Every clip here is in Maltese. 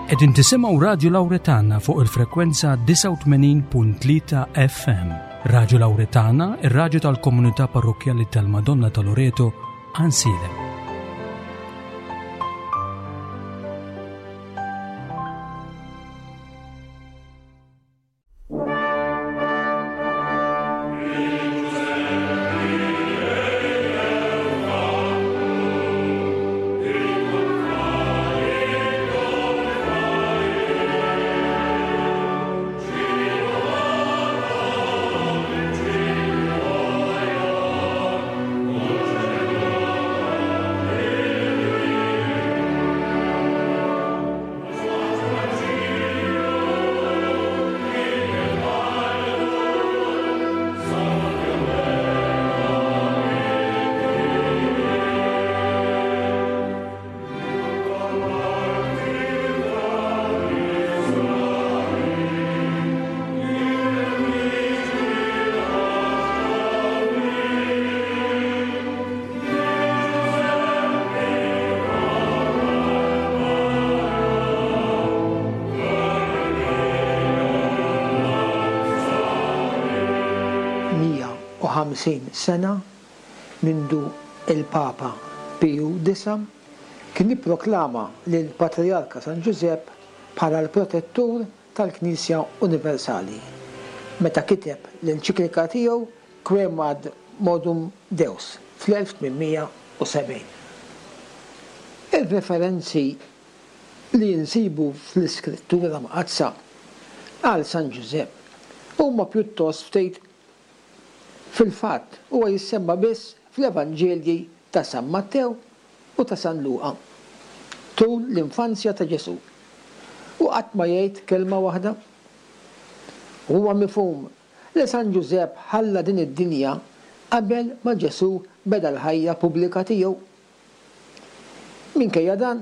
Qegħdin tisimgħu Radju Lawretana fuq il-frekwenza 89.3 FM. Radju Lawretana, ir-radju tal-komunità parrokkjali tal-Madonna ta' Loreto, Ansilem. 150 sena mindu l-Papa Piju Disa' kien ipproklama lill-Patrijarka San Ġużepp bħala l-protettur tal-Knisja Universali meta kiteb l-enċiklika tiegħu Quemadmodum Deus fl-1870. Ir-referenzi li nsibu fl-Iskrittura Mqaddsa għal San Ġużepp huma pjuttost ftit. Fil-fatt, huwa jissemma biss fl-Evanġelji ta' San Mattew u ta' San Luqa tul l-infanzja ta' Ġesù, u qatt ma jgħid kelma waħda. Huwa mifhum li San Ġużepp ħalla din id-dinja qabel ma Ġesù beda l-ħajja pubblika tiegħu. Minkejja dan,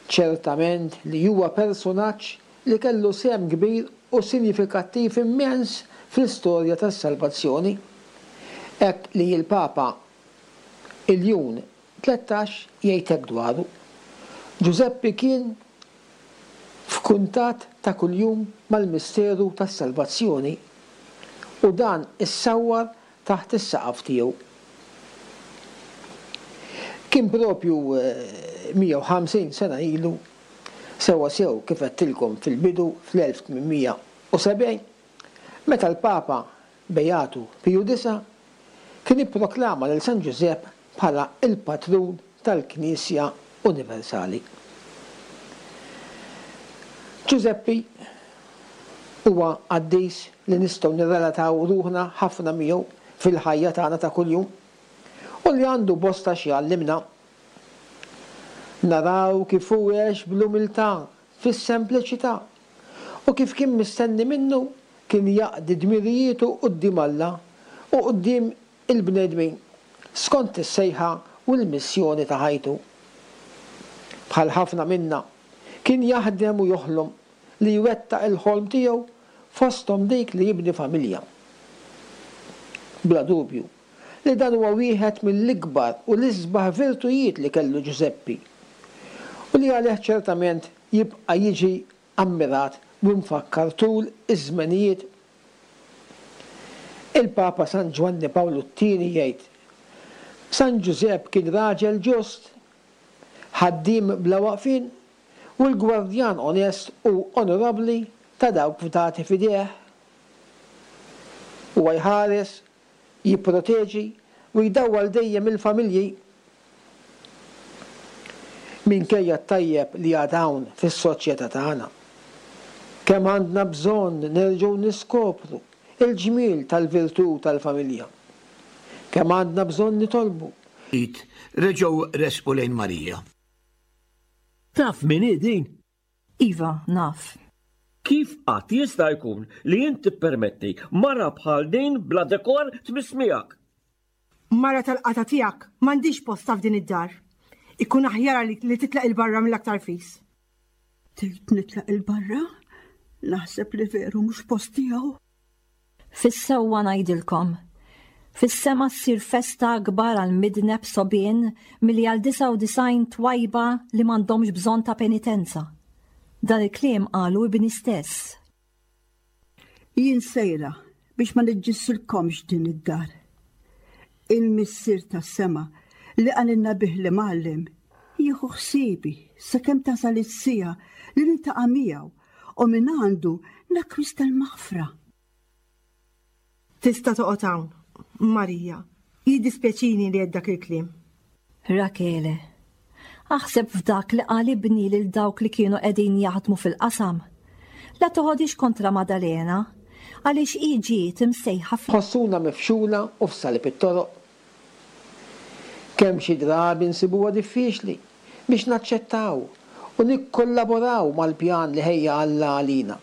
ċertament li huwa persunaġġ li kellu sehem kbir u sinjifikattiv immens fl-istorja tas-salvazzjoni, hekk li l-Papa Iljun 13 jgħid hekk dwaru, Ġużeppi kien f'kuntatt ta' kuljum mal-misteru tas-salvazzjoni u dan issawwar taħt is-saqaf tiegħu. Kien propju 150 sena ilu, sewwasew kif għedtilkom fil-bidu fl-1870, meta l-Papa Beatu Piju Disa' kien ipproklama lil San Ġużepp bħala l-patrun tal-Knisja Universali. Ġużeppi huwa qaddis li nistgħu nirrelataw ruħna ħafna miegħu fil-ħajja tagħna ta' kuljum u li għandu bosta x'jgħallimna. Naraw kif hu għex bl-umiltà, fis-sempliċità, u kif kien mistenni minnu kien jaqdi dmirijietu quddiem Alla u quddiem il-bnedmin skont is-sejħa u l-missjoni ta' ħajtu. Bħal ħafna minna, kien jaħdem u joħlom li jwettaq il-ħolm tiegħu fosthom dik li jibni familja. Bla dubju li dan huwa wieħed mill-ikbar u l-isbaħ virtujiet li kellu Ġużeppi u li għalih ċertament jibqa' jiġi ammirat u mfakkar tul iż-żmenijiet. Il-Papa San Ġwanni Pawlu t-Tieni jgħid, San Ġużepp kien raġel ġust, ħaddiem bla waqfien u l-gwardjan onest u onorabbli ta' dawk fdati f'idejh. Huwa jħares jipproteġi u jdawwal dejjem il-familji. Minkejja t-tajjeb li għad hawn fis-soċjetà tagħna, kemm għandna bżonn nerġgħu niskopru l-ġmiel tal-virtù tal-familja. Kemm għandna bżonn nitolbu. Ftit reġgħu resqu lejn Marija. Taf min hi din? Iva, naf. Kif qatt jista' jkun li int tippermetti mara bħal din bla dekor tmiss miegħek? Mara tal-qatgħa tiegħek m'għandhiex postha f'din id-dar. Ikun aħjar għalik li titlaq 'il barra mill-aktar fis. Tgħid nitlaq 'il barra? Naħseb li veru mhux posti hawn. Fis-sewwa ngħidilkom, fis-sema ssir festa akbar għal midneb sogħbien milli għal 99 twajba li m'għandhomx bżonn ta' penitenza. Dan il-kliem qalu ibni stess. Jien sejra biex ma niġġissilkomx din id-dar. Il-Missier tas-sema li qalilna bih l-Imgħallem jieħu ħsiebi sakemm tasal is-siegħa li niltaqa' miegħu u mingħandu nakkwista l-maħfra. Tista' toqgħod hawn, Marija. Jiddispjaċini li għedt dak il-kliem. Rakele, Aħseb f'dak li qal ibni lil dawk li kienu qegħdin jaħdmu fil-qasam. La toħodhiex kontra Madalena, għaliex hi ġiet imsejħa f'. Ħossuna mifxula u f'salib it-toroq. Kemm xi drabi nsibuha diffiċli biex naċċettaw u nikkollaboraw mal-pjan li ħejja Alla għalina,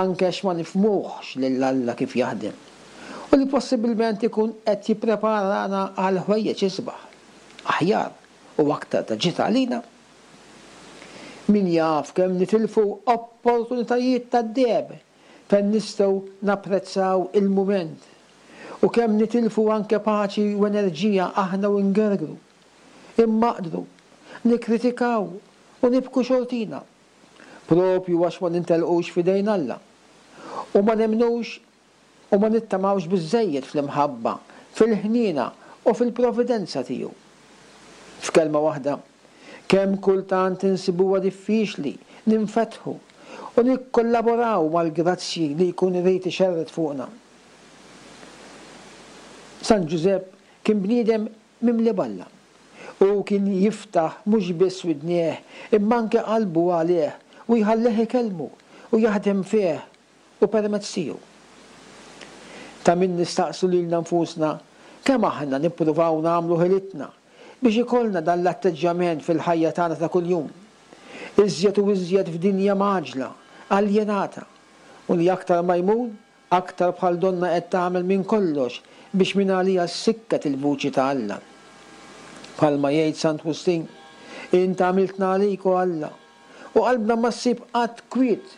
anke għax ma nifhmuhx lil Alla kif jaħdem, u li possibilment ikun qed jippreparana għal ħwejjeġ isbaħ, aħjar u aktar ta' ġid għalina. Min jaf kemm nitilfu opportunitajiet tad-deheb fejn nistgħu napprezzaw il-mument u kemm nitilfu anke paċi u enerġija aħna u ngergru, immaqdru, nikkritikaw u nibku xortina, proprju għax ma nintelqux f'idejn Alla u ma nemmnux u ma nittamawx biżżejjed fl-imħabba, fil-ħniena u fil-providenza tiegħu. F'kelma waħda, kemm kultant insibuha diffiċli ninfetħu u nikkollaboraw mal-grazzji li jkun irid ixerred fuqna. San Ġużepp kien bniedem mimli b'Alla. Hu kien jiftaħ mhux biss widnejh imma anke qalbu għalih u jħallih ikellmu u jaħdem fih u permezz tiegħu. Ta' min nistaqsu lilna nfusna kemm aħna nippruvaw nagħmlu ħilitna biex ikollna dan l-atteġġjament fil-ħajja tagħna ta' kuljum, iżjed u iżjed f'dinja mgħaġġla, aljenata, u li aktar ma jmur, aktar bħal donnha qed tagħmel minn kollox biex mingħaliha ssikket il-vuċi ta' Alla. Bħalma jgħid Sant Wistin, Int għamiltna għalik, o Alla, u qalbna ma ssib qatt kwiet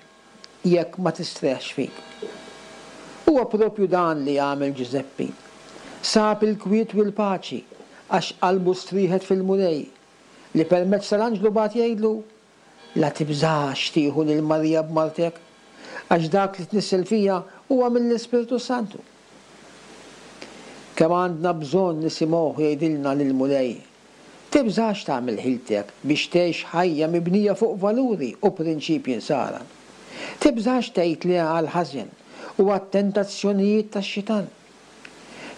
jekk ma tistrieħx fik. Huwa proprju dan li għamel Ġużeppi. Sab il-kwiet u l-paċi għax qalbu strieħet fil-Mulej, li permezz tal-anġlu bagħat jgħidlu, La tibżax tieħu lil Marija b'martek, għax dak li tnissel fiha huwa mill-Ispirtu s-Santu. Kemm għandna bżonn nisimgħuh jgħidilna lill-Mulej, Tibżax tagħmel ħiltek biex tgħix ħajja mibnija fuq valuri u prinċipji Nsara. Tibżax tgħid le għall-ħażen u għat-tentazzjonijiet tax-xitan.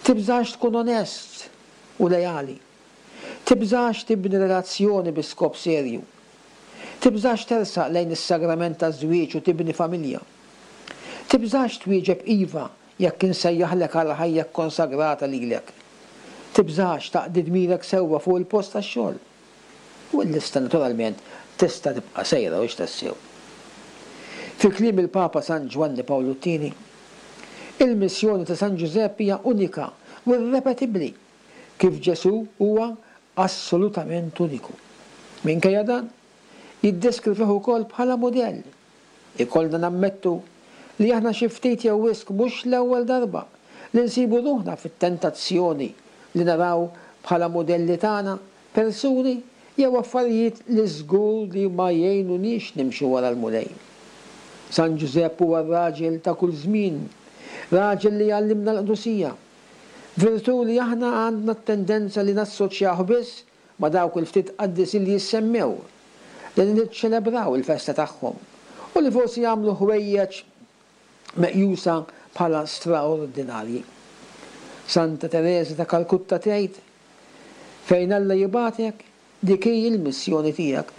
Tibżax tkun onest u leali. Tibżax tibni relazzjoni bi skop serju. Tibżax tersaq lejn is-sagrament taż-żwieġ u tibni familja. Tibżax twieġeb iva Jekk insejjaħlek għal ħajja kkonsagrata lilek, tibżax taqdi dmirek sewwa fuq il-post tax-xogħol. U l-lista naturalment tista' tibqa' sejra hux tassew? Fi kliem il-Papa San Ġwanni Pawlu t-Tieni, il-missjoni ta' San Ġużepp hija unika u irrepetibbli, kif Ġesù huwa assolutament uniku. Minkejja dan, jiddeskrivih ukoll bħala mudell Ikollna nammettu li aħna xi ftit jew wisq mhux l-ewwel darba li nsibu ruħna fit-tentazzjoni li naraw bħala mudelli tagħna persuni jew affarijiet li żgur li ma jgħinuniex nimxu wara l-Mulej. San Ġużepp huwa r-raġel ta' kull żmien, raġel li jgħallimna l-qdusija, virtù li aħna għandna t-tendenza li nassoċjawh biss ma' dawk il-ftit qaddisin li jissemmew, li niċċelebraw il-festa tagħhom, u li forsi jagħmlu ħwejjeġ meqjusa bħala straordinarji. Santa Tereża ta' Kalkutta tgħid, Fejn Alla jibgħatek, dik hi l-missjoni tiegħek.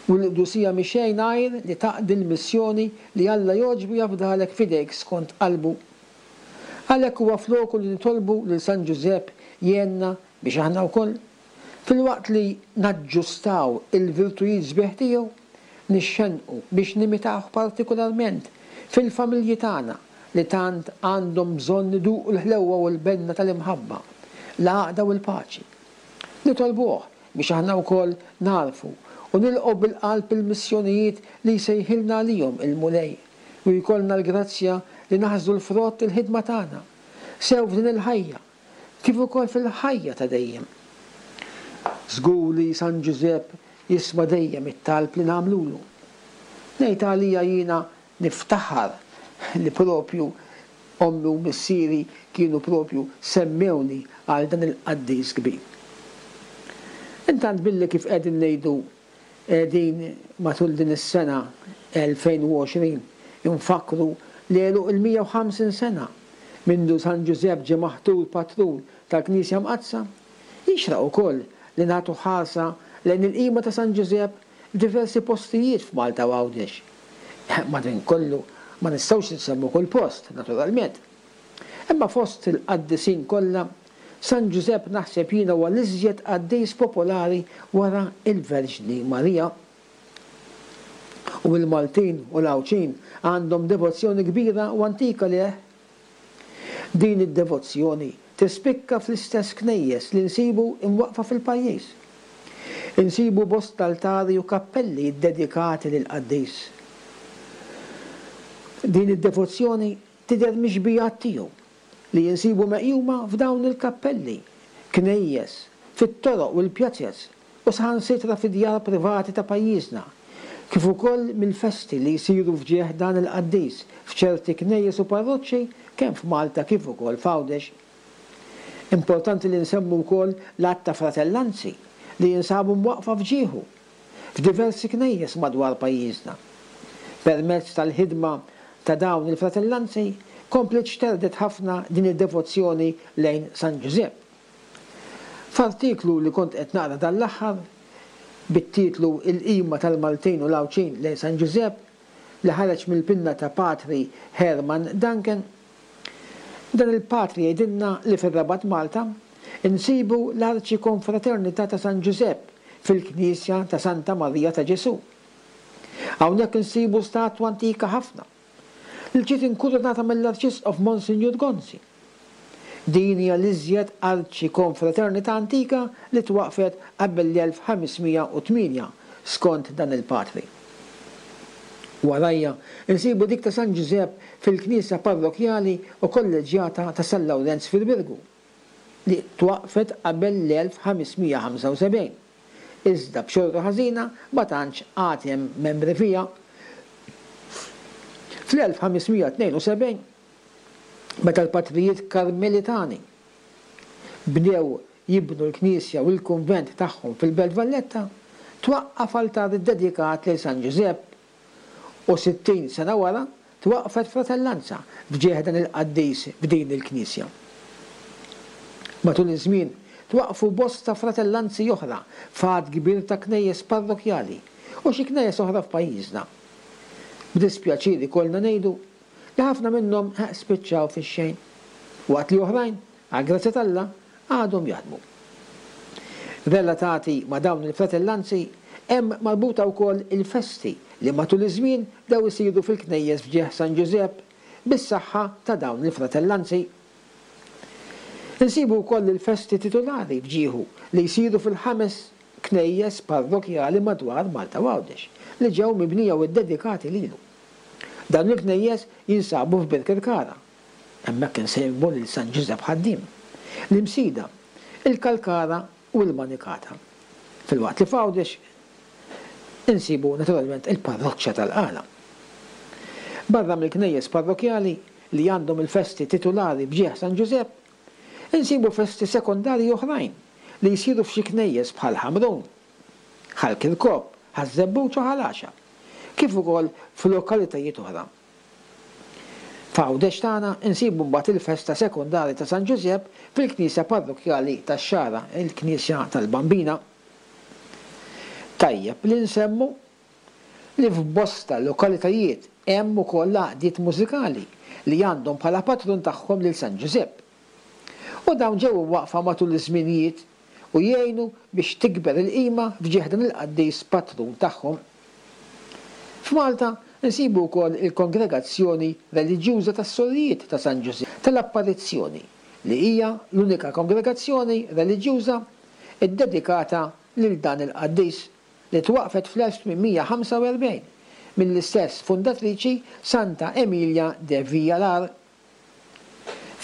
U l-qdusija mhi xejn għajr li taqdi l-missjoni li Alla jogħġbu jafdalek f'idejk skont qalbu. Għalhekk huwa f'loku li nitolbu lil San Ġużepp jgħinna Biex aħna wkoll, filwaqt li naġġustaw il-virtujiet sbieħ tiegħu, nixxennqu biex nimitawh partikularment fil-familji tagħna li tant għandhom bżonn iduqu l-ħlewwa u l-benna tal-imħabba, l-għaqda u l-paċi. Nitolbuh biex aħna wkoll nagħrfu u nilqgħu bil-qalb il-missjonijiet li jsejħilna għalihom il-Mulej u jkollna l-grazzja li naħsdu l-frott il-ħidma tagħna, sew f'din il-ħajja kif ukoll fil-ħajja ta' dejjem. Żgur li San Ġużepp jisma' dejjem it-talb li nagħmlulu. Ngħid għalija jiena niftaħar li propju ommi u missieri kienu propju semmewni għal dan il-qaddis kbir. Intant billi kif qegħdin ngħidu qegħdin matul din is-sena 2020 infakkru l-għeluq il-150 sena mindu San Ġużepp ġie maħtur patrun tal-Knisja Mqaddsa, jixraq ukoll li nagħtu ħarsa lejn il-qima ta' San Ġużepp f'diversi postijiet f'Malta u Għawdex. Madankollu ma nistgħux insemmu kull post, naturalment. Imma fost il-qaddisin kollha, San Ġużepp naħseb jiena huwa l-iżjed qaddis popolari wara l-Verġni Marija. U l-Maltin u l-Għawdxin għandhom devozzjoni kbira u antika lejh. Din id-devozzjoni tispikka fl-istess knejjes li nsibu imwaqqfa fil-pajjiż. Insibu bosta altari u kappelli ddedikati lill-qaddis. Din id-devozzjoni tidher mix-xbijat tiegħu li insibu meqjuma f'dawn il-kappelli, knejjes, fit-toroq u l-pjazez u saħansitra fid-djar privati ta' pajjiżna, kif ukoll mill-festi li jsiru f'ġieħ dan il-qaddis f'ċerti knejjes u parroċċi kemm f'Malta kif ukoll f'Għawdex. Importanti li nsemmu wkoll l-għadd ta' fratellanzi li jinsabu mwaqqfa f'ġieħu f'diversi knejjes madwar pajjiżna. Permezz tal-ħidma ta' dawn il-fratellanzi kompliet xterdet ħafna din id-devozzjoni lejn San Ġużepp. F'artiklu li kont qed naqra dan l-aħħar, bit-titlu Il-qima tal-Maltin u l-Għawdxin lejn San Ġużepp, li ħareġ mill-pinna ta' Patri Herman Duncan, dan il-patri jgħidilna li fir-Rabat Malta nsibu l-Arċikonfraternità ta' San Ġużepp fil-Knisja ta' Santa Marija ta' Ġesù. Hawnhekk insibu statwa antika ħafna li ġiet inkurunata mill-Arċisqof Monsinjur Gonzi. Din hija l-iżjed arċikonfraternità antika li twaqqfet qabel l-1508, skont dan il-patri. Warajha nsibu dik ta' San Ġużepp fil-knisja parrokkjali u kolleġġjata ta' San Lawrenz fil-Birgu, li twaqqfet qabel l-1575, iżda b'xorta ħażina ma tantx għad hemm membri fiha. Fl-1572, meta l-patrijiet Karmelitani bdew jibnu l-knisja u l-kunvent tagħhom fil-Belt Valletta, twaqqaf altar iddedikat lil San Ġużepp u 60 sena wara twaqqfet fratellanza f'ġieħ dan il-qaddis f'din il-knisja. Matul iż-żmien twaqqfu bosta fratellanzi oħra f'għadd kbir ta' knejjes parrokkjali u xi knejjes oħra f'pajjiżna. B'dispjaċir ikollna ngħidu li ħafna minnhom spiċċaw fix-xejn, waqt li oħrajn, għall-grazzja t'Alla, għadhom jaħdmu. Relatati ma' dawn il-fratellanzi hemm marbuta wkoll il-festi li matul iż-żmien bdew isiru fil-knejjes f'ġieħ San Ġużepp bis-saħħa ta' dawn il-fratellanzi. Insibu wkoll il-festi titulari f'ġieħu li jsiru fil-ħames knejjes parrokkjali madwar Malta u Għawdex li ġew mibnija u ddedikati lilu. Dawn il-knejjes jinsabu f'Birkirkara. Hemmhekk insibu lil San Ġużepp Ħaddiem, l-Imsida, il-Kalkara u l-Manikata. Filwaqt li f'Għawdex insibu naturalment il-parroċċa tal-Qala. Barra mill-knejjes parrokkjali li għandhom il-festi titulari b'ġieħ San Ġużepp, insibu festi sekondarji oħrajn li jsiru f'xi knejjes bħal Ħamrun, Ħal Kirkop, Ħaż-Żebbuġ u Ħal Għaxaq, kif ukoll f'lokalitajiet oħra. F'Għawdex tagħna nsibu mbagħad il-festa sekondari ta' San Ġużepp fil-knisja parrokkjali tax-Xagħra, il-Knisja tal-Bambina. Tajjeb li nsemmu li f'bosta lokalitajiet hemm ukoll għaqdiet mużikali li għandhom bħala patrun tagħhom lil San Ġużepp. U dawn ġew imwaqqfa matul iż-żminijiet u jgħinu biex tikber il-qima f'ġieħ dan il-qaddis patrun tagħhom. F'Malta nsibu wkoll il-Kongregazzjoni Reliġjuża tas-Sorijiet ta' San Ġużepp tal-Apparizzjoni li hija l-unika kongregazzjoni reliġjuża ddedikata lil dan il-qaddis li twaqqfet fl-1845 mill-istess fundatriċi Santa Emilia de Villalar.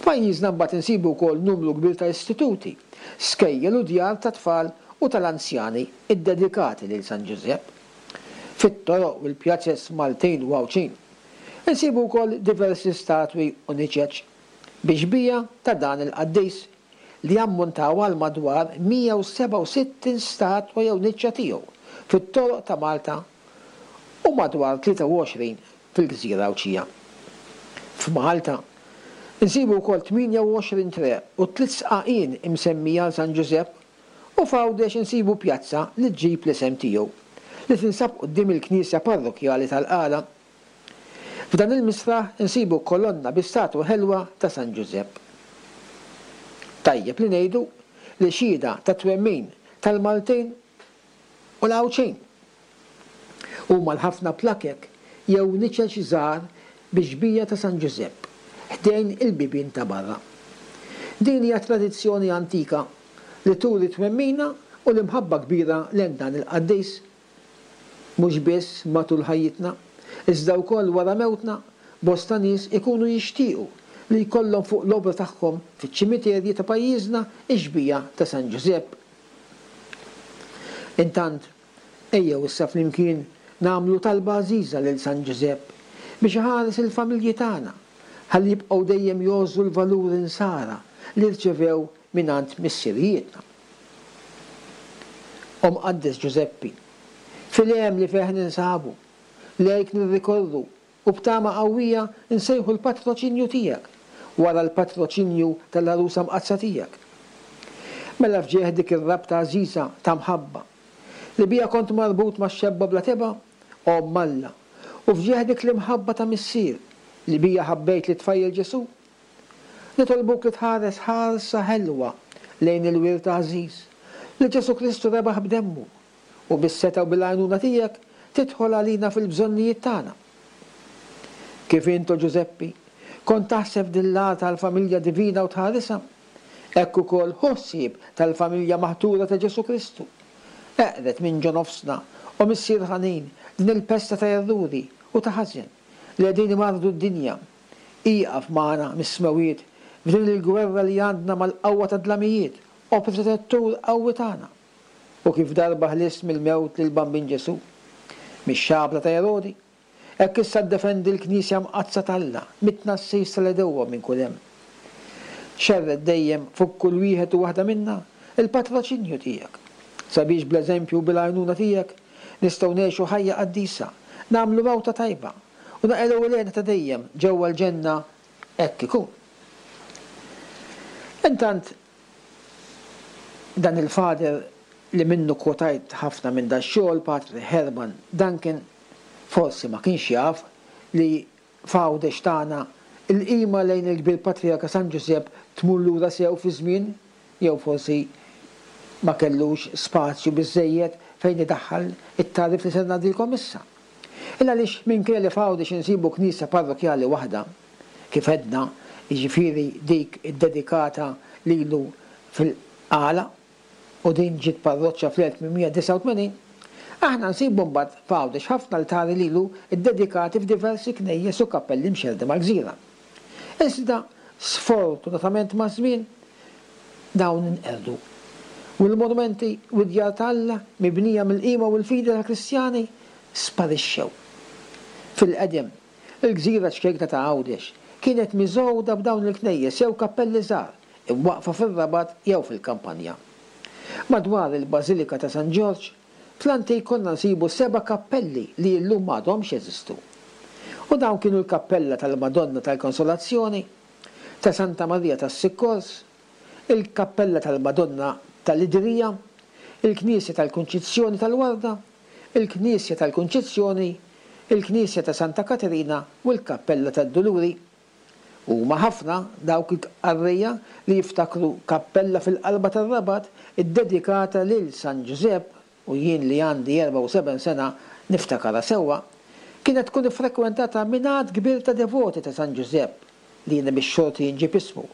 F'pajjiżna mbagħad insibu wkoll numru kbir ta' istituti, skejjel u djar tat-tfal u tal-anzjani ddedikati lil San Ġużepp. Fit-toroq u l-pjazez Maltin u Għawdxin, insibu wkoll diversi statwi u niċeċ bi xbieha ta' dan il-qaddis li jammontaw għal madwar 167 statwa jew niċċa tiegħu fit-toroq ta' Malta u madwar 23 fil-gżira Għawdxija. F'Malta, insibu wkoll 28 triq u tliet sqaqien imsemmija għal San Ġużepp u f'Għawdex insibu pjazza li ġġib l-isem tiegħu, li tinsab quddiem il-knisja parrokkjali tal-Qala. F'dan il-misraħ insibu kolonna bi statwa ħelwa ta' San Ġużepp. Tajjeb li ngħidu li xhieda tat-twemmin tal-Maltin u l-Għawdxin huma l-ħafna plakek jew niċeċ żgħar bix-xbieha ta' San Ġużepp ħdejn il-bibien ta' barra. Din hija tradizzjoni antika li turi twemmina u l-imħabba kbira lejn dan il-qaddis. Mhux biss matul ħajjitna, iżda wkoll wara mewtna, bosta nies ikunu jixtiequ li jkollhom fuq l-obra tagħhom fiċ-ċimiterji ta' pajjiżna x-xbieha ta' San Ġużepp. Intant, ejjew issa flimkien nagħmlu talba għażiża lil San Ġużepp biex iħares il-familji tagħna ħalli jibqgħu dejjem jgħożżu l-valuri Nsara li rċevew mingħand missirijietna. O Mqaddes Ġużeppi, fil-hemm li fih ninsabu, lejk nirrikorru u b'tama qawwija nsejħu l-patroċinju tiegħek wara l-patroċinju tal-Għarusa Mqaddsa tiegħek. Mela f'ġieħ dik ir-rabta għażiża ta' mħabba li biha kont marbut max-xebba bla tebgħa, Omm Alla, u f'ġieħ dik l-imħabba ta' Missier li biha ħabbejt lit-tfajjel Ġesù, nitolbuk li tħares ħarsa ħelwa lejn il-wirt għażiż li Ġesù Kristu rebaħ b'demmu, u bis-setgħa u bil-għajnuna tiegħek tidħol għalina fil-bżonnijiet tagħna. Kif int, o Ġużeppi, kont taħseb f'din l-għar tal-familja divina u tħarisha, hekk ukoll ħu ħsieb tal-familja maħtura ta' Ġesù Kristu. Eqred minn ġo nofsna, o Missier ħanin, din il-pesta ta' erruri u ta' ħażen li qegħdin imarrdu d-dinja. Ieqaf magħna mis-smewwiet f'din il-gwerra li għandna mal-qawwa tad-dlamijiet, o Protettur qawwi tagħna. U kif darba ħlist mill-mewt lill-Bambin Ġesù, mix-xabla ta' Erodi, hekk issa ddefendi l-Knisja Mqaddsa t'Alla mit-tnassis tal-għedewwa minn kull hemm. Xerred dejjem fuq kull wieħed u waħda minna l-patroċinju tiegħek, sabiex bl-eżempju u bil-għajnuna tiegħek nistgħu ngħixu ħajja qaddisa, nagħmlu mewta tajba, u naqilgħu l-hena ta' dejjem ġewwa l-ġenna Hekk ikun. Intant, dan il-father li minnu kkwotajt ħafna minn dax-xogħol, Patri Herman Duncan, forsi ma kienx jaf li f'Għawdex tagħna l-qima lejn il-Kbir Patrijarka San Ġużepp tmur lura sew fiż-żmien jew forsi ma kellux spazju biżżejjed fejn idaħħal it-tagħrif li ser ngħaddilkom issa. Il għaliex minkejja li f'Għawdex insibu knisja parrokkjali waħda, kif għedna, jiġifieri dik iddedikata lilu fil-Qala, u din ġiet parroċċa fl-1889, aħna nsibu mbagħad f'Għawdex ħafna altari lilu ddedikati f'diversi knejjes u kappelli mxerrda mal-gżira. Iżda, sfortunatament maż-żmien, dawn inqerdu. U l-monumenti u d-djar ta' Alla, mibnija mill-qima u l-fidi tal-Kristjani, sparixxew. Fil-qedem, il-gżira ċkejkna ta' Għawdex kienet miżgħuda b'dawn il-knejjes jew kappelli żgħar, imwaqqfa fir-Rabat jew fil-kampanja. Madwar il-Bażilika ta' San Ġorġ, fl-antik konna nsibu seba' kappelli li llum m'għadhomx jeżistu. U dawn kienu l-kappella tal-Madonna tal-Konsolazzjoni, ta' Santa Marija tas-Sikkors, il-kappella tal-Madonna tal-Idrija, il-knisja tal-Kunċizzjoni tal-Warda, il-knisja tal-Kunċizzjoni, il-knisja ta' Santa Katerina u l-kappella tad-Duluri. Huma ħafna dawk il-qarrejja li jiftakru kappella fil-qalba tar-Rabat iddedikata lil San Ġużepp u jien li għandi 74 sena niftakarha sewwa, kienet tkun iffrekwentata minn għadd kbir ta' devoti ta' San Ġużepp li jiena bix-xorti nġib ismu,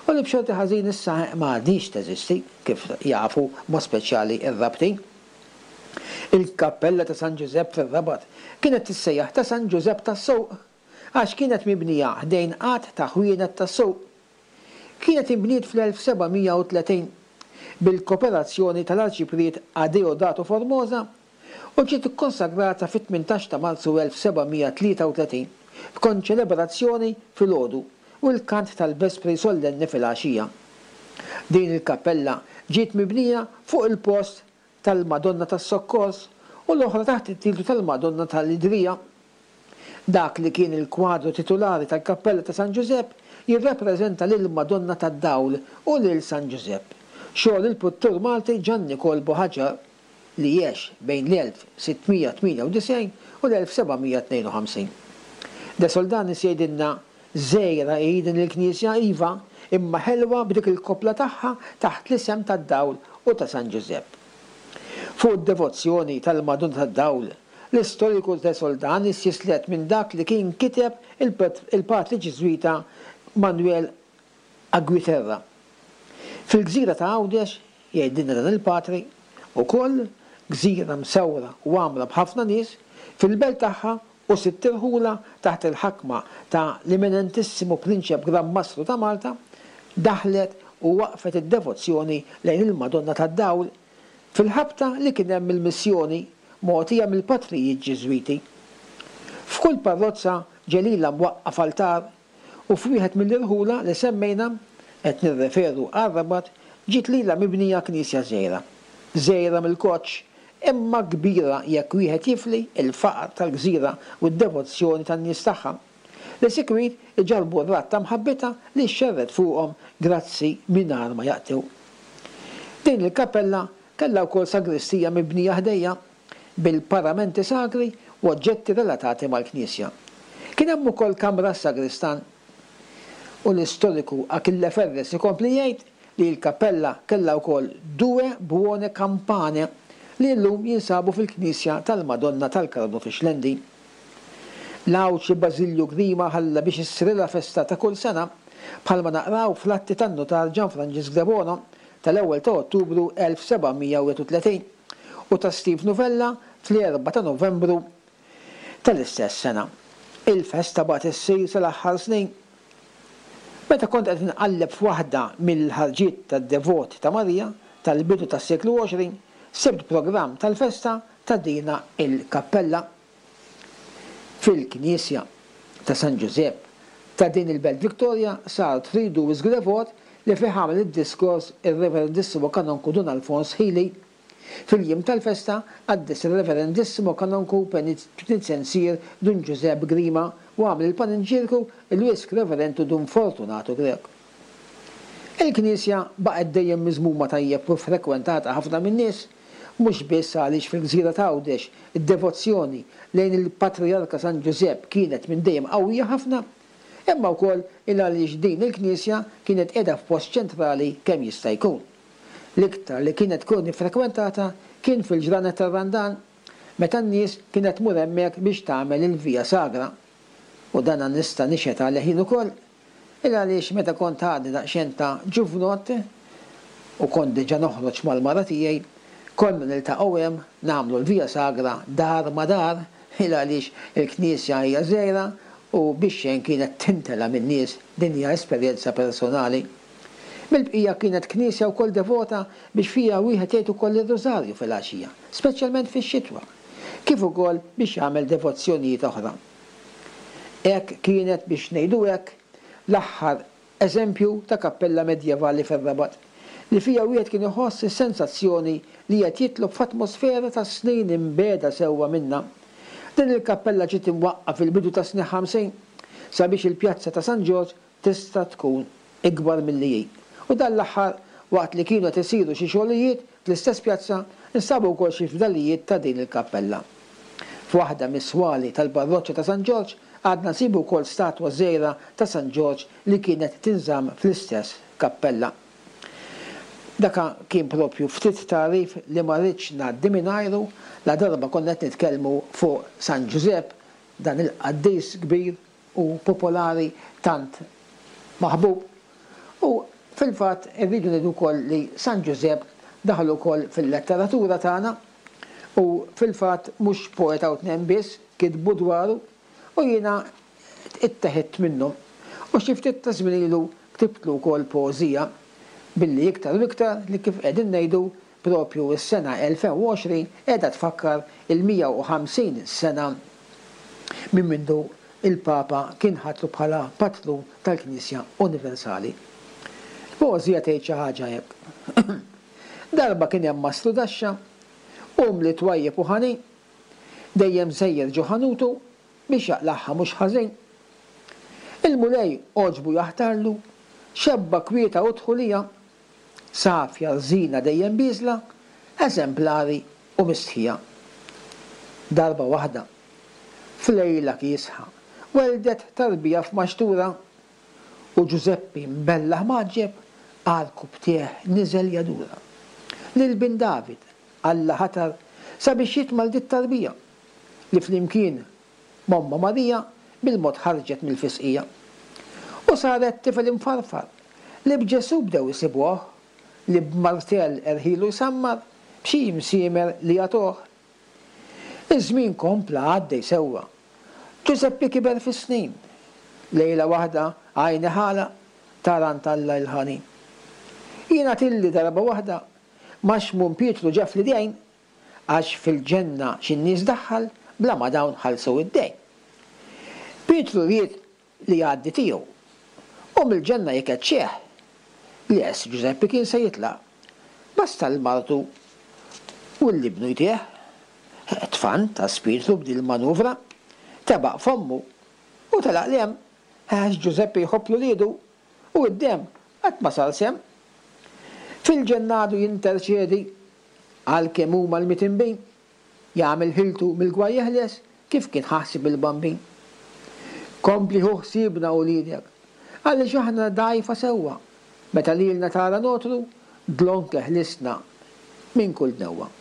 u li b'xorti ħażin issa ma għadhiex teżisti, kif jafu b'mod speċjali r-Rabtin. Il-kappella ta' San Ġużepp fir-Rabat kienet tissejjaħ ta' San Ġużepp tas-Suq għax kienet mibnija ħdejn għadd ta' ħwienet tas-suq. Kienet inbniet fl-1730 bil-koperazzjoni tal-Arċipriet Adeodato Formosa. u ġiet ikkonsagrata fit-18 ta' Marzu 1733 b'konċelebrazzjoni filgħodu u l-kant tal-Vespri Sollenni filgħaxija. Din il-kappella ġiet mibnija fuq il-post tal-Madonna tas-Sokkors u l-oħra taħt it-titlu tal-Madonna tal-Idrija. Dak li kien il-kwadru titulari tal-kappella ta' San Ġużepp jirrappreżenta lill-Madonna tad-Dawl u lil San Ġużepp, xogħol il-pittur Malti Ġan Nikol Buħaġar li għex bejn l-1698 u l-1752. De Soldanis jgħidilna Żgħira hi din il-knisja, iva, imma ħelwa b'dik il-koppla tagħha taħt l-isem tad-Dawl u ta' San Ġużepp. Fuq id-devozzjoni tal-Madonna tad-Dawl, l-istoriku De Soldanis jislet minn dak li kien kiteb il-patri Ġiżwita Manuel Aguiterra. Fil-gżira ta' Għawdex, jgħidilna dan il-patri, ukoll, gżira msawra u għamra b'ħafna nies, fil-belt tagħha u sitt irħula taħt il-ħakma ta' l-Eminentissimu Prinċep Gran Mastru ta' Malta, daħlet u waqfet id-devozzjoni lejn il-Madonna tad-Dawl fil-ħabta li kien hemm il-missjoni mogħtija mill-patrijiet Ġiżwiti. F'kull parrozza ġie lilha mwaqqaf altar u f'wieħed mill-irħula li semmejna, qed nirreferu għar-Rabat, ġiet lilha mibnija knisja żgħira. Żgħira mill-koċċ, imma kbira jekk wieħed jifli l-faqar tal-gżira u d-devozzjoni tan-nies tagħha, li sikwit iġarrbu r-radd ta' mħabbitha li xxerred fuqhom grazzi mingħajr ma jaqtgħu. Din il-kappella kellha wkoll sagristija mibnija ħdejha bil-paramenti sagri u oġġetti relatati mal-knisja. Kien hemm ukoll kamra għas-sagristan. U l-istoriku Achille Ferres ikompli jgħid li l-kappella kellha wkoll due buone campane li llum jinsabu fil-knisja tal-Madonna tal-Karmnu fix-Xlendi. L-Għawdxi Bażilju Grima ħalla biex issirilha festa ta' kull sena, bħalma naqraw fl-atti tan-nutar Ġan Franġisk Debono tal-ewwel ta' Ottubru 1731. u ta' Steve Nuvella fl-erbgħa ta' Novembru tal-istess sena. Il-festa baqgħet issir sal-aħħar snin. Meta kont qed inqalleb f'waħda mill-ħarġiet tad-devoti ta' Marija tal-bidu tas-seklu 20, sibt programm tal-festa ta' dina il-kappella. Fil-knisja ta' San Ġużepp ta' din il-belt Victoria sar tridu wisq devot li fih għamel id-diskors ir-Reverendissimo Kanonku Dun Alfons Hili. Fil-jiem tal-festa qaddes ir-Reverendissimo Kanonku Penitenzier Dun Ġużepp Grima u għamel il-paninġierku il-Wisq Reverentu Dun Fortunatu Grech. Il-knisja baqgħet dejjem miżmuma tajjeb u frekwentata ħafna min-nies, mhux biss għaliex fil-gżira t'Għawdex id-devozzjoni lejn il-Patrijarka San Ġużepp kienet minn dejjem qawwija ħafna, imma wkoll il-għaliex din il-knisja kienet qiegħda f'post ċentrali kemm jista' jkun. L-iktar li kienet tkun iffrekwentata kien fil-ġranet tar-Randan, meta n-nies kienet tmur hemmhekk biex tagħmel il-Via Sagra. U dana nista' nixhed għalih jien ukoll, Il għaliex meta kont għadni daqsxejn ta' ġuvnott u kont diġà noħroġ mal-mara tiegħi, konna niltaqgħu hemm nagħmlu l-Via Sagra dar ma' dar, il għaliex il-knisja hija żgħira u bix-xejn kienet timtela min-nies, din hija esperjenza personali. Mill-bqija kienet knisja wkoll devota biex fiha wieħed jgħid ukoll ir-Rużarju filgħaxija, speċjalment fix-xitwa, kif ukoll biex jagħmel devozzjonijiet oħra. Hekk kienet biex ngħidu hekk l-aħħar eżempju ta' kappella medjevali fir-Rabat, li fiha wieħed kien iħoss is-sensazzjoni li qed jitlob f'atmosfera ta' snin imbiegħda sewwa minnha. Din il-kappella ġiet imwaqqa' fil-bidu tas-snin 50 sabiex il-pjazza ta' San Ġorġ tista' tkun ikbar milli hi. U dan l-aħħar, waqt li kienu qed isiru xi xogħlijiet fl-istess pjazza, nstabu wkoll xi fdalijiet ta' din il-kappella. F'waħda mis-swali tal-parroċċa ta' San Ġorġ għadna nsibu wkoll statwa żgħira ta' San Ġorġ li kienet tinżamm fl-istess kappella. Daka kien propju ftit tagħrif li ma ridtx ngħaddi mingħajru ladarba konna qed nitkellmu fuq San Ġużepp, dan il-qaddis kbir u popolari tant maħbub. U fil-fatt irridu ngħidu wkoll li San Ġużepp daħal ukoll fil-letteratura tagħna u fil-fatt mhux poeta u tnejn biss kitbu dwaru u jiena itteħidt minnhom. U xi ftit ta' żmien ilu ktibtlu wkoll poeżija billi iktar u iktar li kif qegħdin ngħidu. Propju s-sena 2020 qiegħda tfakkar il-150 sena minn mindu il-Papa kien ħatru bħala patrun tal-Knisja Universali. Il-poeżija tgħid xi ħaġa hekk. Darba kien hemm mastru daxxa, umli twajjeb u ħanin, dejjem sejjer ġo ħanutu biex jaqlagħha mhux ħażin. Il-Mulej għoġbu jaħtarlu xebba kwieta u dħulija, safja rżina dejjem bieżla, eżemplari u mistħija. Darba waħda, f'lejla kiesħa, welldet tarbija f'maxtura u Ġużeppi mbellaħ mgħaġġeb għarkupptejh niżel jadura. Lil bin David Alla ħatar sabiex jitma' 'l dit-tarbija li flimkien m'ommha Marija bil-mod ħarġet mill-fisqija. U saret tifel imfarfar li b'Ġesù bdew isibuh, li b'martell erħilu jsammar b'xi msiemer li jagħtuh. Iż-żmien kompla għaddej sewwa. Ġużeppi kiber fis-snin. Lejla waħda għajni ħala tara għand Alla il-ħanin. Jingħatilli darba waħda ma' Xmun Pietru ġa fl-idejn Għax fil-ġenna xi nies daħħal bla ma dawn ħallsu id-dejn. Pietru ried li jgħaddi tiegħu u mill-ġenna jkeċċih. Les, Ġużeppi kien se jitlaq. Basta 'l martu u 'l ibnu jtih. Tfantas Pietru b'dil-manuvra, tebaq f'ommu u telaq 'l hemm għax Ġużeppi jħobb 'l uliedu u d-demm qatt ma sar semm. Fil-ġenna għadu jinterċedi Għal kemm huma l-mitinbin, jagħmel ħiltu mill-gwaj jeħles kif kien ħa ħsieb il-Bambin. Kompli ħu ħsiebna uliedek, għaliex aħna dgħajfa sewwa, meta lilna tara nogħtru, dlonk eħlisna minn kull dnewwa.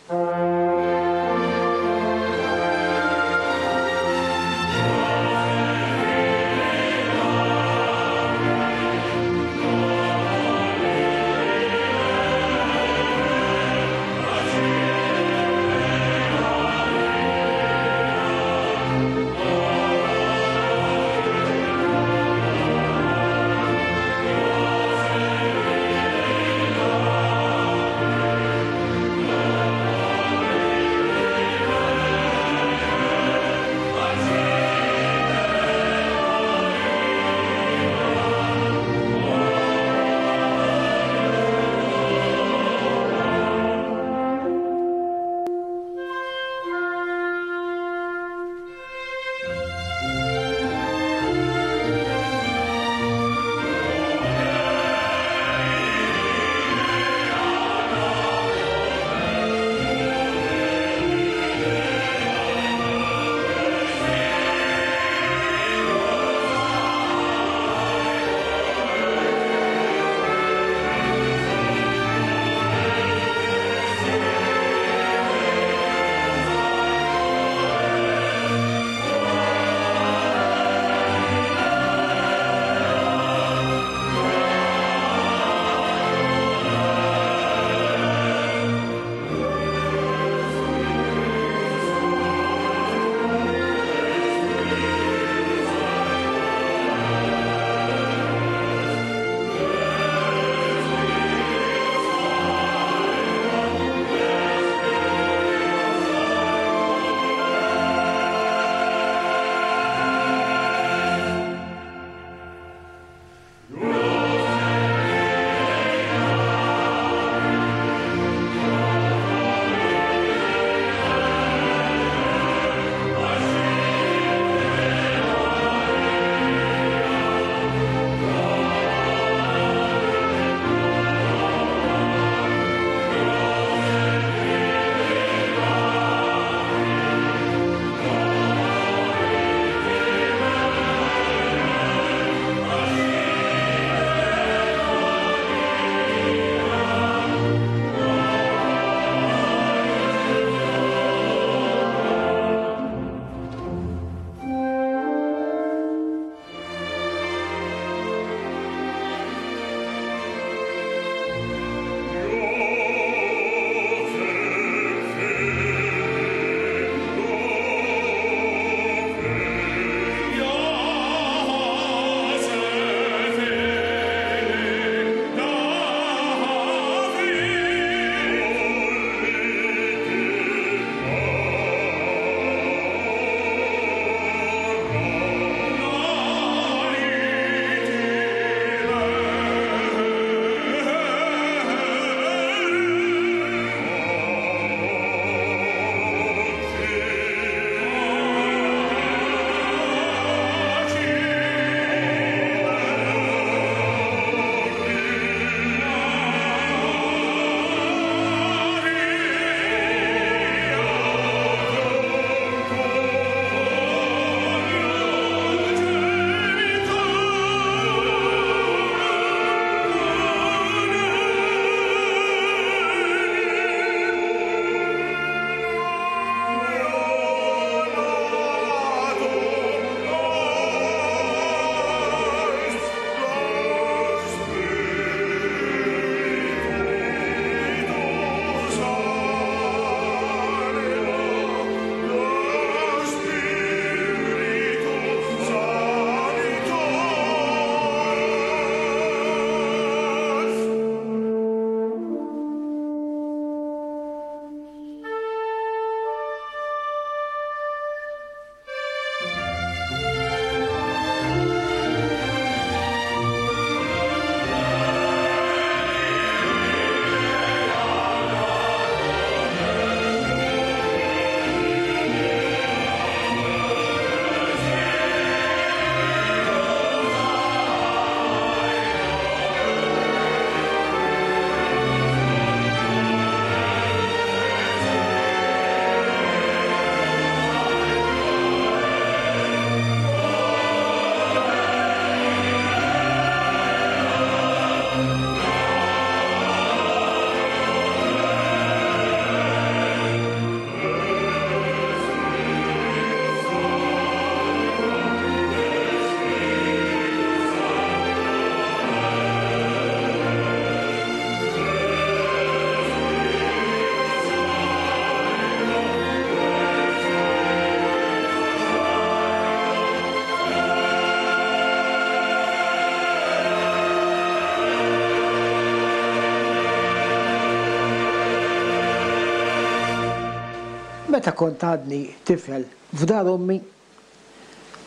Meta kont għadni tifel f'dar ommi,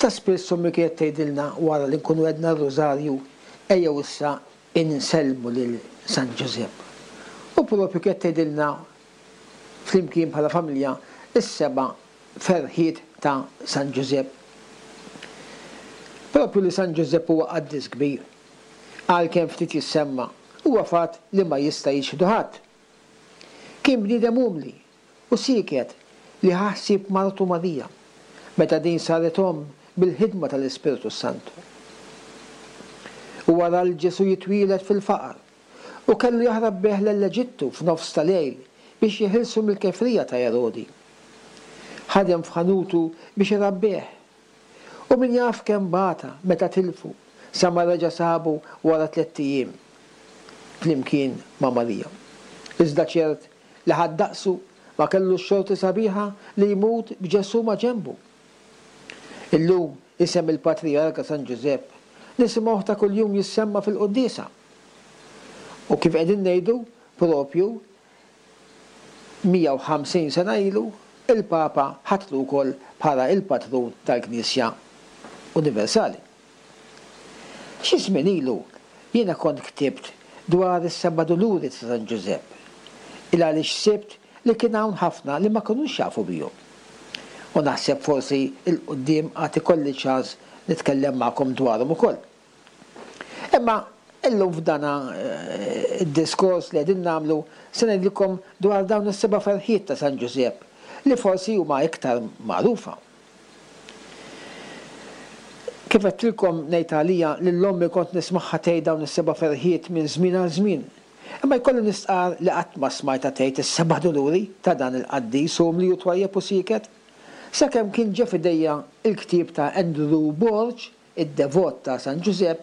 ta' spiss ommi kienet tgħidilna wara li nkunu għedna r-Rużarju, ejjew issa insellmu lil San Ġużepp. U proprju kienet tgħidilna flimkien bħala familja s-seba' ferħiet ta' San Ġużepp. Proprju li San Ġużepp huwa qaddis kbir, għalkemm ftit jissemma, huwa fatt li ma jista' jiċħdu ħadd. Kien bniedem umli u sieket li ħa ħsieb martu Marija, meta din saret omm bil-ħidma tal-Ispirtu s-Santu. Huwa ra 'l Ġesù jitwieled fil-faqar u kellu jaħrab bih lell-Eġittu f'nofs ta' lejl biex jeħilsu mill-kefrija ta' Erodi. Ħadem f'ħanutu biex irabbih. U min jaf kemm bata meta tilfu sa ma reġa' sabu wara tlett ijiem flimkien ma' Marija. Iżda ċert li ħadd daqsu ma kellu x-xorti sabiħa li jmut b'Ġesù maġenbu. Illum isem il-Patrijarka San Ġużepp nisimgħuh ta' kuljum jissemma fil-quddiesa. U kif qegħdin ngħidu, propju 150 sena ilu, il-Papa ħatru wkoll bħala il-Patrun tal-Knisja Universali. Xi żmien ilu jiena kont ktibt dwar is-Seba' Duluri ta' San Ġużepp, il għaliex sibt li kien hawn ħafna li ma kinux jafu bihom. U naħseb forsi 'l quddiem għad ikolli ċans nitkellem magħkom dwarhom ukoll. Imma illum f'dan id-diskors li qegħdin nagħmlu se ngħidilkom dwar dawn is-seba' ferħiet ta' San Ġużepp li forsi huma iktar magħrufa. Kif għedtilkom ngħid għalija lil ommi kont nismagħha tgħid dawn is-seba' ferħiet minn żmien għal żmien. Imma jkolli nistqarr li qatt ma smajtha tgħid is-seba' duluri ta' dan il-qaddis umli u twajjeb u sieket. Sakemm kien ġie f'idejja l-ktieb ta' Andrew Borg, Id-Devot ta' San Ġużepp,